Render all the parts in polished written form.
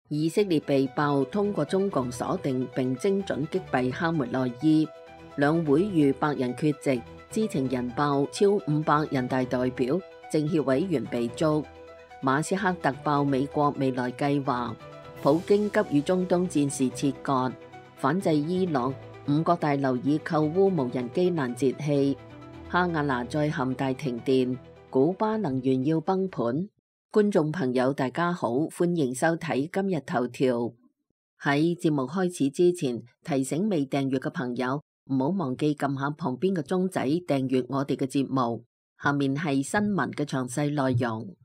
以色列被爆通過中共鎖定並精準擊斃哈梅內伊，兩會逾100人缺席，知情人爆超500人大代表、政協委員被捉。馬斯克突爆美國未來計劃，普京急與中東戰事切割，反制伊朗，5角大樓以扣烏無人機攔截器，哈瓦那再陷大停電，古巴能源要崩盤。觀眾朋友大家好，歡迎收睇今日頭條。喺節目開始之前，提醒未訂閱嘅朋友唔好忘記撳下旁邊嘅鐘仔訂閱我哋嘅節目。下面係新聞嘅詳細內容。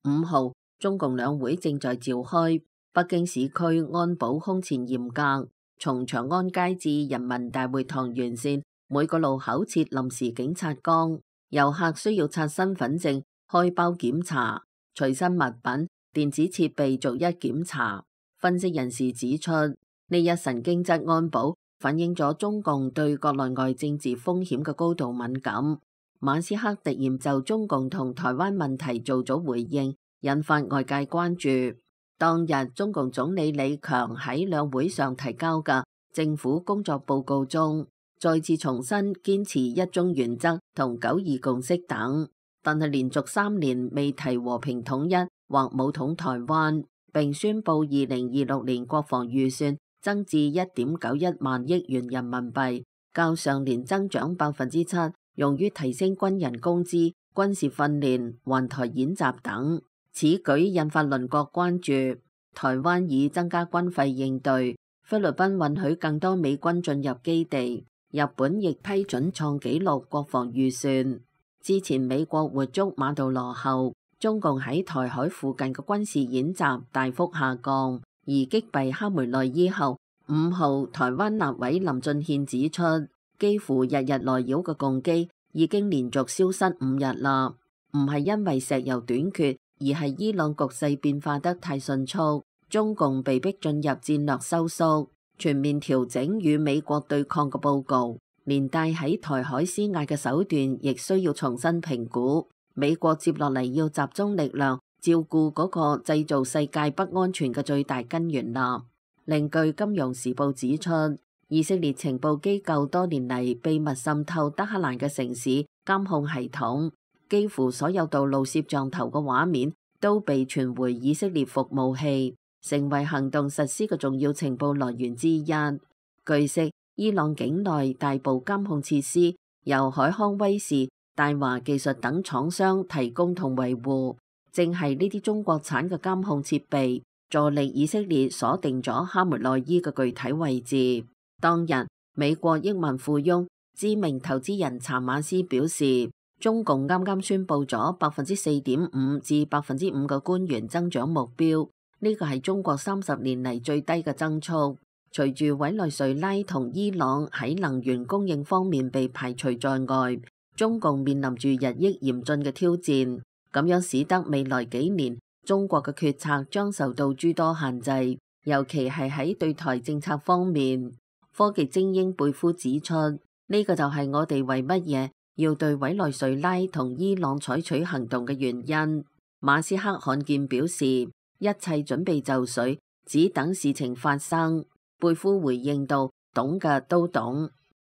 5號，中共兩會正在召開，北京市區安保空前嚴格，從長安街至人民大會堂沿線每個路口設臨時警察崗，遊客需要刷身份證、開包檢查，隨身物品、電子設備逐一檢查。分析人士指出，呢一神經質安保反映咗中共對國內外政治風險嘅高度敏感。馬斯克突然就中共同台灣問題做咗回應，引發外界關注。當日中共總理李強喺兩會上提交嘅政府工作報告中，再次重申堅持一中原則同9·2共識等，但係連續3年未提和平統一或武統台灣，並宣布2026年國防預算增至1.91萬億元人民幣，較上年增長7%，用於提升軍人工資、軍事訓練、環台演習等。此舉引發鄰國關注，台灣已增加軍費應對，菲律賓允許更多美軍進入基地，日本亦批准創紀錄國防預算。之前美國活捉馬杜羅後，中共喺台海附近嘅軍事演習大幅下降，而擊斃哈梅內伊後，5號台灣立委林俊憲指出，幾乎日日來擾嘅共機已經連續消失5日啦，唔係因為石油短缺，而係伊朗局勢變化得太迅速，中共被迫進入戰略收縮，全面調整與美國對抗嘅報告，連帶喺台海施壓嘅手段亦需要重新評估。美國接落嚟要集中力量照顧嗰個製造世界不安全嘅最大根源啦。另據《金融時報》指出，以色列情報機構多年嚟秘密滲透德黑蘭嘅城市監控系統，幾乎所有道路攝像頭嘅畫面都被傳回以色列服務器，成為行動實施嘅重要情報來源之一。據悉，伊朗境內大部監控設施由海康威視、大華技術等廠商提供同維護，正係呢啲中國產嘅監控設備助力以色列鎖定咗哈梅內伊嘅具體位置。當日，美國億萬富翁、知名投資人查馬斯表示，中共啱啱宣布咗4.5%至5%嘅官員增長目標，呢個係中國30年嚟最低嘅增速。隨住委內瑞拉同伊朗喺能源供應方面被排除在外，中共面臨住日益嚴峻嘅挑戰，咁樣使得未來幾年中國嘅決策將受到諸多限制，尤其係喺對台政策方面。科技精英貝夫指出，呢個就係我哋為乜嘢要對委內瑞拉同伊朗採取行動嘅原因。馬斯克罕見表示，一切準備就緒，只等事情發生。貝夫回應道，懂嘅都懂。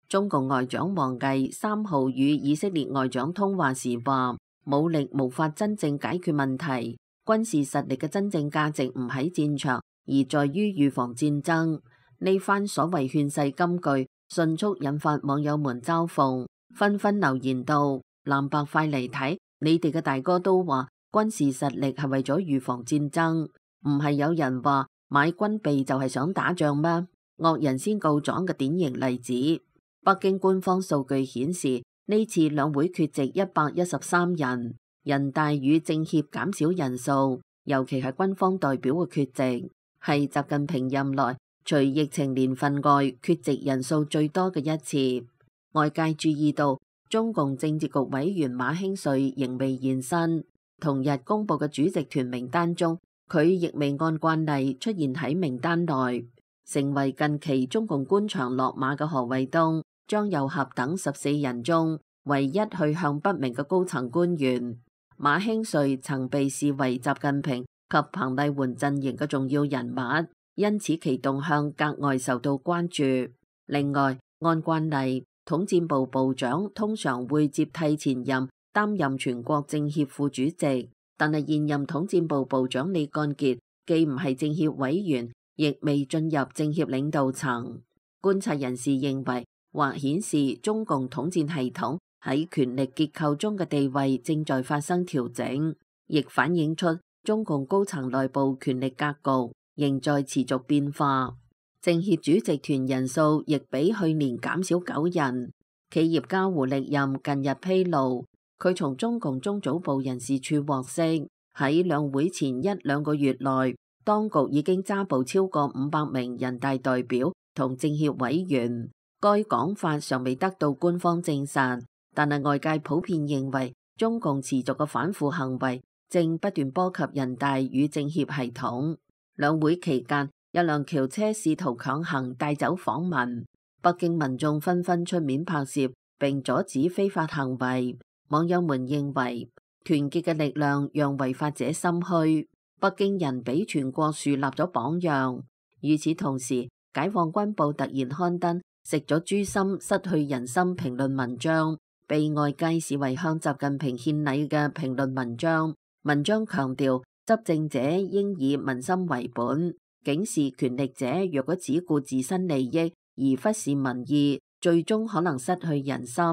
中共外長王毅3號與以色列外長通話時話，武力無法真正解決問題，軍事實力嘅真正價值唔喺戰場，而在於預防戰爭。呢番所謂勸世金句迅速引發網友們嘲諷，紛紛留言道，藍白快嚟睇，你哋嘅大哥都話軍事實力係為咗預防戰爭，唔係有人話買軍備就係想打仗咩？惡人先告狀嘅典型例子。北京官方數據顯示，呢次兩會缺席113人，人大與政協減少人數，尤其係軍方代表嘅缺席，係習近平任內除疫情年份外缺席人數最多嘅一次。外界注意到，中共政治局委員馬興瑞仍未現身，同日公布嘅主席團名單中，佢亦未按慣例出現喺名單內，成為近期中共官場落馬嘅何衛東、張又俠等14人中唯一去向不明嘅高層官員。馬興瑞曾被視為習近平及彭麗媛陣營嘅重要人物，因此其動向格外受到關注。另外，按慣例，統戰部部長通常會接替前任擔任全國政協副主席，但係現任統戰部部長李幹傑既唔係政協委員，亦未進入政協領導層。觀察人士認為，或顯示中共統戰系統喺權力結構中嘅地位正在發生調整，亦反映出中共高層內部權力格局仍在持續變化。政協主席團人數亦比去年減少9人。企業家胡力任近日披露，佢從中共中組部人事處獲悉，喺兩會前1-2個月內，當局已經抓捕超過500名人大代表同政協委員。該講法尚未得到官方證實，但係外界普遍認為，中共持續嘅反腐行為正不斷波及人大與政協系統。兩會期間，一輛轎車試圖強行帶走訪民，北京民眾紛紛出面拍攝並阻止非法行為。網友們認為，團結嘅力量讓違法者心虛，北京人俾全國樹立咗榜樣。與此同時，解放軍報突然刊登食咗豬心失去人心評論文章，被外界視為向習近平獻禮嘅評論文章。文章強調執政者應以民心為本，警示權力者若果只顧自身利益而忽視民意，最終可能失去人心。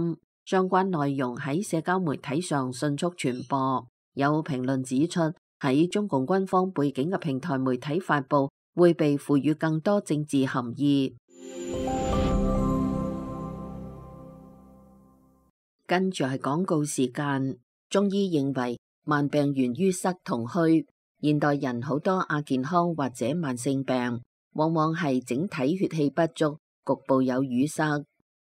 相關內容喺社交媒體上迅速傳播。有評論指出，喺中共軍方背景嘅平台媒體發布會被賦予更多政治含義。跟住係廣告時間。中醫認為慢病源於塞同虛，現代人好多亞健康或者慢性病，往往係整體血氣不足，局部有淤塞，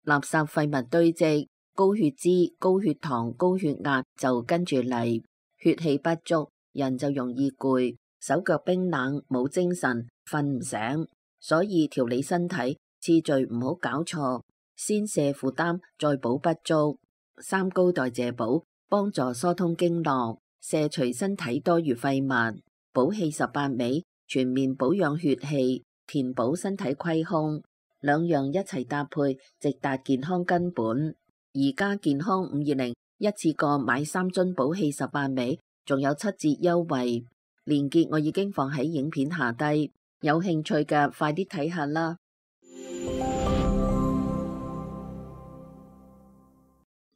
垃圾廢物堆積，高血脂、高血糖、高血壓就跟住嚟。血氣不足，人就容易攰，手腳冰冷，冇精神，瞓唔醒。所以調理身體次序唔好搞錯，先瀉負擔，再補不足。三高代謝補幫助疏通經絡，卸除身體多餘廢物。補氣18味全面保養血氣，填補身體虧空，兩樣一齊搭配，直達健康根本。而家健康520一次過買3樽補氣18味，仲有7折優惠，鏈接我已經放喺影片下低，有興趣嘅快啲睇下啦。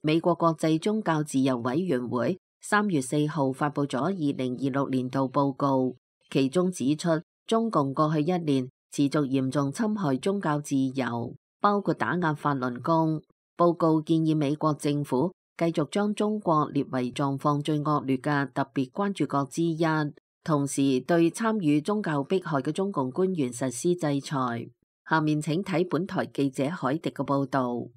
美國國際宗教自由委員會3月4號發布咗2026年度報告，其中指出中共過去1年持續嚴重侵害宗教自由，包括打壓法輪功。報告建議美國政府繼續將中國列為狀況最惡劣嘅特別關注國之一，同時對參與宗教迫害嘅中共官員實施制裁。下面請睇本台記者海迪嘅報導。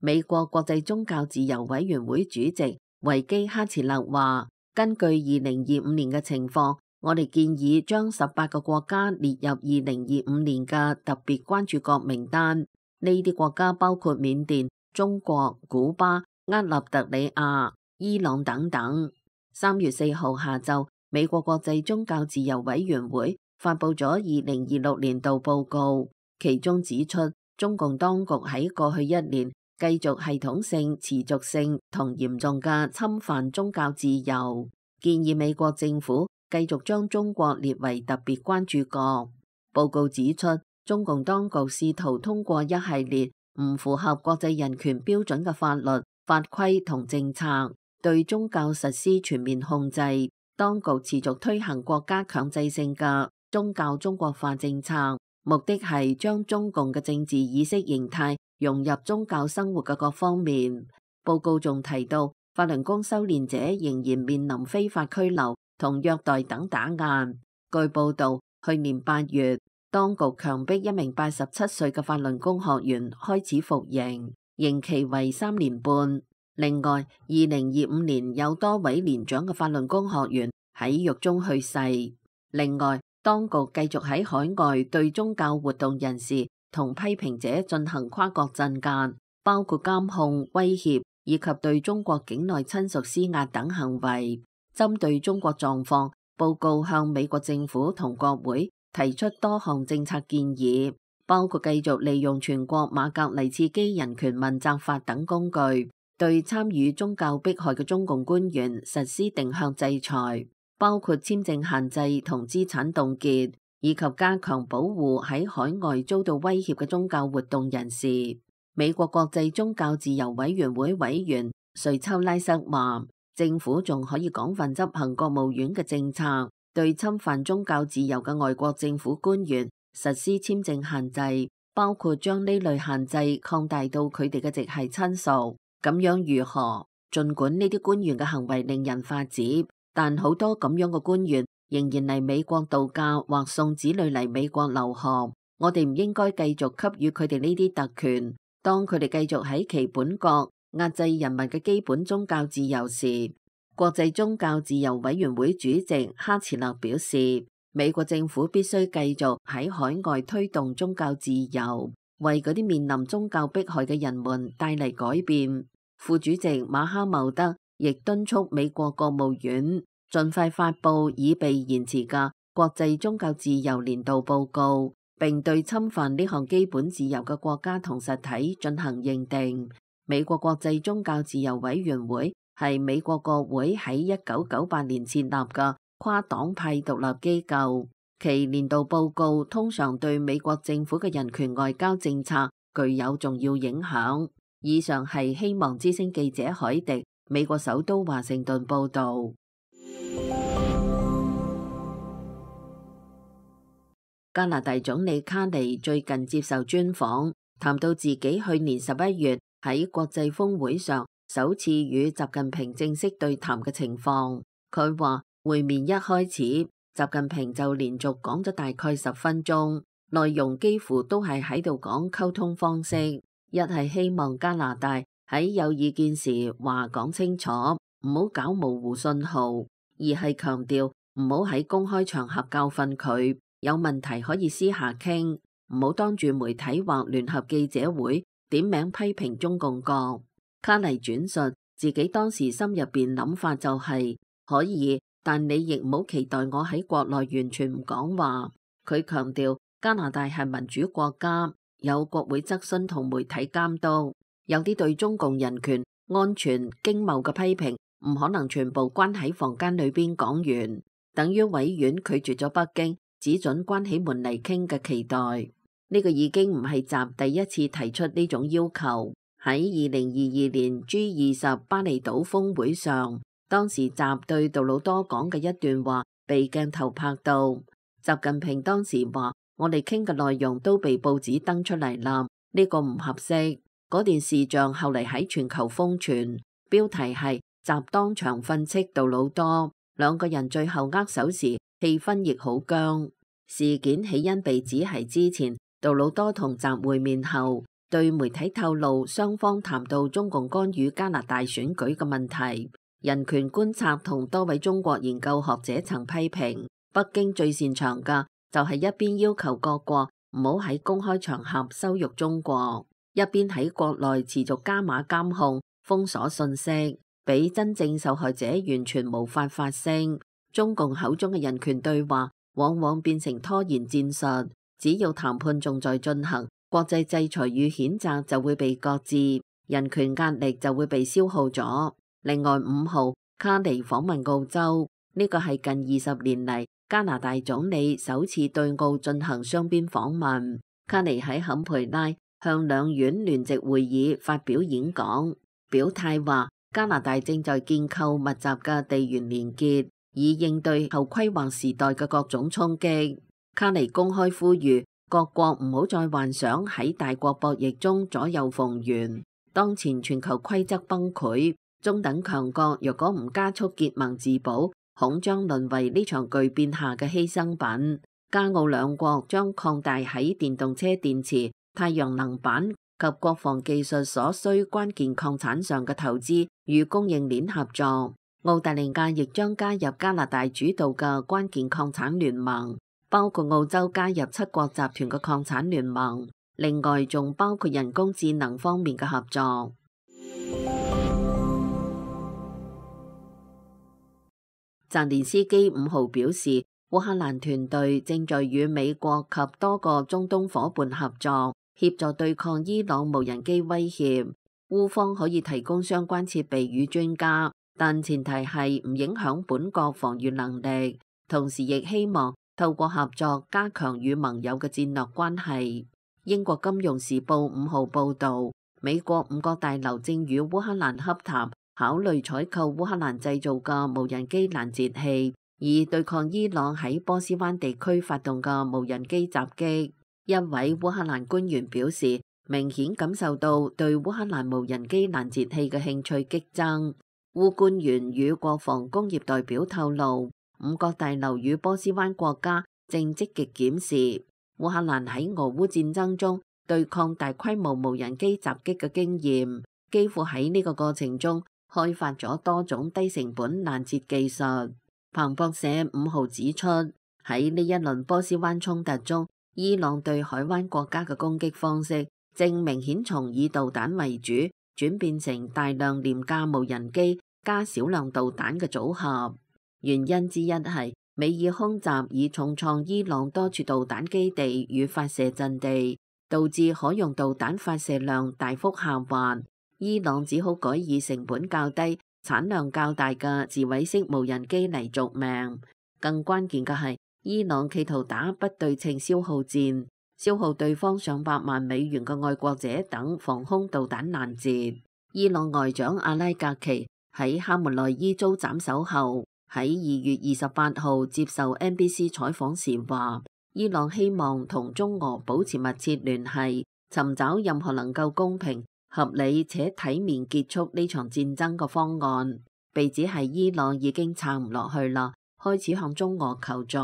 美國國際宗教自由委員會主席維基哈茨勒話，根據2025年嘅情況，我哋建議將18個國家列入2025年嘅特別關注國名單。呢啲國家包括緬甸、中國、古巴、厄立特里亞、伊朗等等。3月4號下晝，美國國際宗教自由委員會發布咗2026年度報告，其中指出，中共當局喺過去1年繼續系統性、持續性同嚴重嘅侵犯宗教自由，建議美國政府繼續將中國列為特別關注國。報告指出，中共當局試圖通過一系列唔符合國際人權標準嘅法律、法規同政策，對宗教實施全面控制。當局持續推行國家強制性嘅宗教中國化政策，目的係將中共嘅政治意識形態融入宗教生活嘅各方面。報告仲提到，法輪功修煉者仍然面臨非法拘留同虐待等打壓。據報道，去年8月，當局強迫一名87歲嘅法輪功學員開始服刑，刑期為3年半。另外，2025年有多位年長嘅法輪功學員喺獄中去世。另外，當局繼續喺海外對宗教活動人士同批評者進行跨國鎮壓，包括監控、威脅以及對中國境內親屬施壓等行為。針對中國狀況，報告向美國政府同國會提出多項政策建議，包括繼續利用全國馬格尼茨基人權問責法等工具，對參與宗教迫害嘅中共官員實施定向制裁，包括簽證限制同資產凍結，以及加強保護喺海外遭到威脅嘅宗教活動人士。美國國際宗教自由委員會委員瑞秋拉瑟話，政府仲可以廣泛執行國務院嘅政策，對侵犯宗教自由嘅外國政府官員實施簽證限制，包括將呢類限制擴大到佢哋嘅直系親屬。咁樣如何？儘管呢啲官員嘅行為令人髮指，但好多咁樣嘅官員仍然嚟美國度假或送子女嚟美國留學。我哋唔應該繼續給予佢哋呢啲特權。當佢哋繼續喺其本國壓制人民嘅基本宗教自由時，國際宗教自由委員會主席哈茨勒表示，美國政府必須繼續喺海外推動宗教自由，為嗰啲面臨宗教迫害嘅人們帶嚟改變。副主席馬哈茂德亦敦促美國國務院盡快發布已被延遲嘅國際宗教自由年度報告，並對侵犯呢項基本自由嘅國家同實體進行認定。美國國際宗教自由委員會係美國國會喺1998年設立嘅跨黨派獨立機構，其年度報告通常對美國政府嘅人權外交政策具有重要影響。以上係希望之聲記者海迪美國首都華盛頓報道。加拿大總理卡尼最近接受專訪，談到自己去年11月喺國際峰會上首次與習近平正式對談嘅情況。佢話會面一開始，習近平就連續講咗大概10分鐘，內容幾乎都係喺度講溝通方式。一係希望加拿大喺有意見時話講清楚，唔好搞模糊信號；二係強調唔好喺公開場合教訓佢，有問題可以私下傾，唔好當住媒體或聯合記者會點名批評中共國。卡尼轉述自己當時心入邊諗法就係可以，但你亦唔好期待我喺國內完全唔講話。佢強調加拿大係民主國家，有國會質詢同媒體監督，有啲對中共人權、安全、經貿嘅批評唔可能全部關喺房間裏邊講完，等於委員拒絕咗北京只准關起門嚟傾嘅期待。呢個已經唔係習第一次提出呢種要求。喺2022年 G20 巴厘島峰會上，當時習對杜魯多講嘅一段話被鏡頭拍到，習近平當時話：我哋傾嘅內容都被報紙登出嚟啦，呢個唔合適。嗰段視像後嚟喺全球瘋傳，標題係習當場訓斥杜魯多，兩個人最後握手時氣氛亦好僵。事件起因被指係之前杜魯多同習會面後，對媒體透露雙方談到中共干預加拿大選舉嘅問題。人權觀察同多位中國研究學者曾批評，北京最擅長嘅就係一邊要求各國唔好喺公開場合羞辱中國，一邊喺國內持續加碼監控、封鎖信息，俾真正受害者完全無法發聲。中共口中嘅人權對話往往變成拖延戰術，只要談判仲在進行，國際制裁與譴責就會被擱置，人權壓力就會被消耗咗。另外5號，卡尼訪問澳洲，呢個係近20年嚟加拿大總理首次對澳進行雙邊訪問。卡尼喺坎培拉向兩院聯席會議發表演講，表態話加拿大正在建構密集嘅地緣連結，以應對後規劃時代嘅各種衝擊。卡尼公開呼籲各國唔好再幻想喺大國博弈中左右逢源。當前全球規則崩潰，中等強國若果唔加速結盟自保，恐將淪為呢場巨變下嘅犧牲品。加澳兩國將擴大喺電動車電池、太陽能板及國防技術所需關鍵礦產上嘅投資與供應鏈合作。澳大利亞亦將加入加拿大主導嘅關鍵礦產聯盟，包括澳洲加入7國集團嘅礦產聯盟，另外仲包括人工智能方面嘅合作。澤連斯基5號表示，烏克蘭團隊正在與美國及多個中東夥伴合作，協助對抗伊朗無人機威脅。烏方可以提供相關設備與專家，但前提係唔影響本國防禦能力，同時亦希望透過合作加強與盟友嘅戰略關係。英國金融時報5號報導，美國5角大樓正與烏克蘭洽談，考慮採購烏克蘭製造嘅無人機攔截器，以對抗伊朗喺波斯灣地區發動嘅無人機襲擊。一位烏克蘭官員表示，明顯感受到對烏克蘭無人機攔截器嘅興趣激增。烏官員與國防工業代表透露，5角大樓與波斯灣國家正積極檢視烏克蘭喺俄烏戰爭中對抗大規模無人機襲擊嘅經驗，幾乎喺呢個過程中開發咗多種低成本攔截技術。彭博社5號指出，喺呢一輪波斯灣衝突中，伊朗對海灣國家嘅攻擊方式正明顯從以導彈為主，轉變成大量廉價無人機加少量導彈嘅組合。原因之一係美以空襲已重創伊朗多處導彈基地與發射陣地，導致可用導彈發射量大幅下滑。伊朗只好改以成本較低、產量較大嘅自毀式無人機嚟續命。更關鍵嘅係，伊朗企圖打不對稱消耗戰，消耗對方上百萬美元嘅愛國者等防空導彈攔截。伊朗外長阿拉格奇喺哈梅內伊遭斬首後，喺2月28號接受 NBC 採訪時話，伊朗希望同中俄保持密切聯繫，尋找任何能夠公平、合理且體面結束呢場戰爭嘅方案。被指係伊朗已經撐唔落去啦，開始向中俄求助。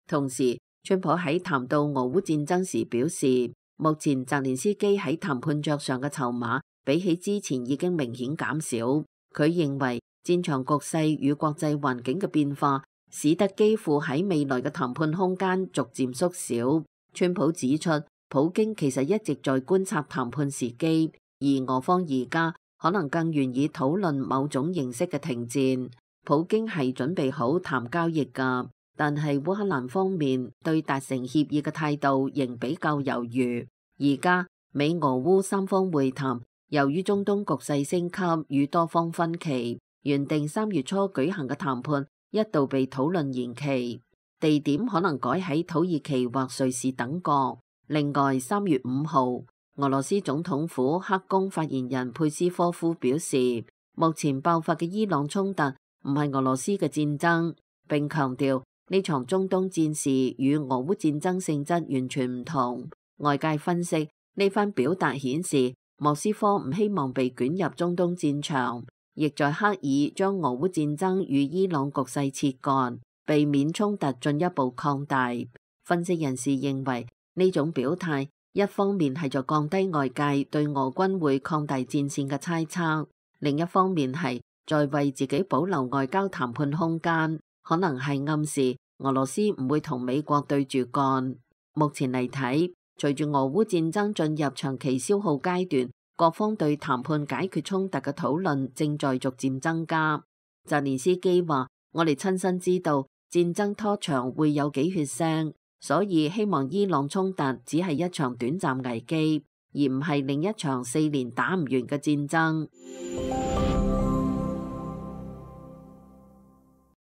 同時，川普喺談到俄烏戰爭時表示，目前澤連斯基喺談判桌上嘅籌碼比起之前已經明顯減少。佢認為戰場局勢與國際環境嘅變化，使得基輔喺未來嘅談判空間逐漸縮小。川普指出，普京其實一直在觀察談判時機，而俄方而家可能更願意討論某種形式嘅停戰。普京係準備好談交易㗎，但係烏克蘭方面對達成協議嘅態度仍比較猶豫。而家美俄烏三方會談，由於中東局勢升級與多方分歧，原定3月初舉行嘅談判一度被討論延期，地點可能改喺土耳其或瑞士等國。另外，3月5號，俄羅斯總統府黑宮發言人佩斯科夫表示，目前爆發嘅伊朗衝突唔係俄羅斯嘅戰爭，並強調呢場中東戰事與俄烏戰爭性質完全唔同。外界分析，呢番表達顯示莫斯科唔希望被捲入中東戰場，亦在刻意將俄烏戰爭與伊朗局勢切割，避免衝突進一步擴大。分析人士認為，呢種表態一方面係在降低外界對俄軍會擴大戰線嘅猜測，另一方面係在為自己保留外交談判空間，可能係暗示俄羅斯唔會同美國對住幹。目前嚟睇，隨住俄烏戰爭進入長期消耗階段，各方對談判解決衝突嘅討論正在逐漸增加。澤連斯基話：我哋親身知道戰爭拖長會有幾血腥，所以希望伊朗衝突只係一場短暫危機，而唔係另一場4年打唔完嘅戰爭。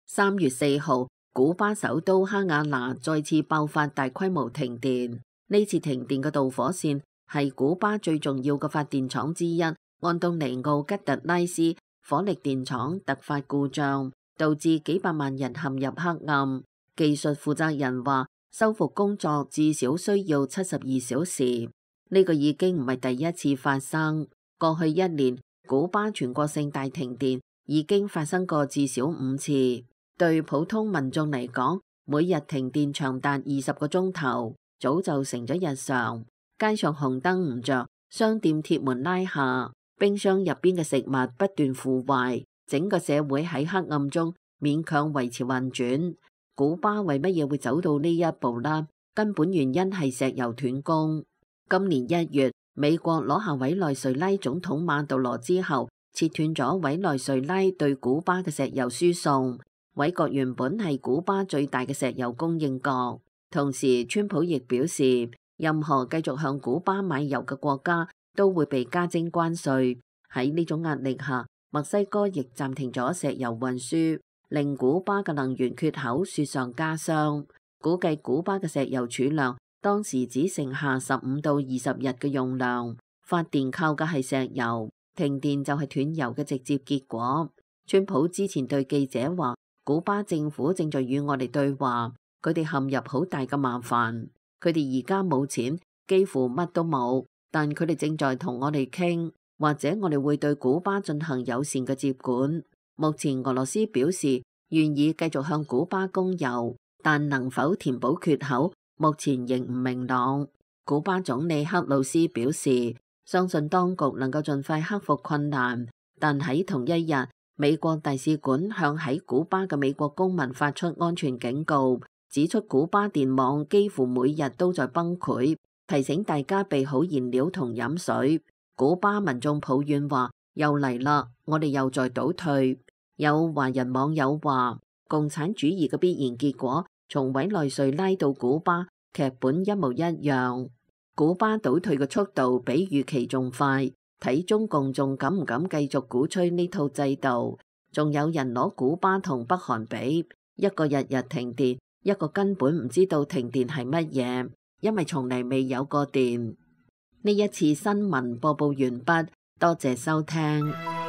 3月4號，古巴首都哈瓦那再次爆發大規模停電。呢次停電嘅導火線係古巴最重要嘅發電廠之一安東尼奧吉特拉斯火力電廠突發故障，導致幾百萬人陷入黑暗。技術負責人話，修復工作至少需要72小時。呢個已經唔係第一次發生。過去1年，古巴全國性大停電已經發生過至少5次。對普通民眾嚟講，每日停電長達20個鐘頭，早就成咗日常。街上紅燈唔着，商店鐵門拉下，冰箱入邊嘅食物不斷腐壞，整個社會喺黑暗中勉強維持運轉。古巴為乜嘢會走到呢一步呢？根本原因係石油斷供。今年1月，美國攞下委內瑞拉總統馬杜羅之後，切斷咗委內瑞拉對古巴嘅石油輸送。委國原本係古巴最大嘅石油供應國，同時川普亦表示，任何繼續向古巴買油嘅國家都會被加徵關稅。喺呢種壓力下，墨西哥亦暫停咗石油運輸，令古巴嘅能源缺口雪上加霜。估計古巴嘅石油儲量當時只剩下15到20日嘅用量，發電靠嘅係石油，停電就係斷油嘅直接結果。川普之前對記者話，古巴政府正在與我哋對話，佢哋陷入好大嘅麻煩，佢哋而家冇錢，幾乎乜都冇，但佢哋正在同我哋傾，或者我哋會對古巴進行友善嘅接管。目前俄羅斯表示願意繼續向古巴供油，但能否填補缺口，目前仍唔明朗。古巴總理克魯斯表示，相信當局能夠盡快克服困難，但喺同一日，美國大使館向喺古巴嘅美國公民發出安全警告，指出古巴電網幾乎每日都在崩潰，提醒大家備好燃料同飲水。古巴民眾抱怨話，又嚟啦，我哋又在倒退。有華人網友話，共產主義嘅必然結果從委內瑞拉到古巴，劇本一模一樣。古巴倒退嘅速度比預期仲快，睇中共仲敢唔敢繼續鼓吹呢套制度。仲有人攞古巴同北韓比，一個日日停電，一個根本唔知道停電係乜嘢，因為從嚟未有過電。呢一次新聞播報完畢，多謝收聽。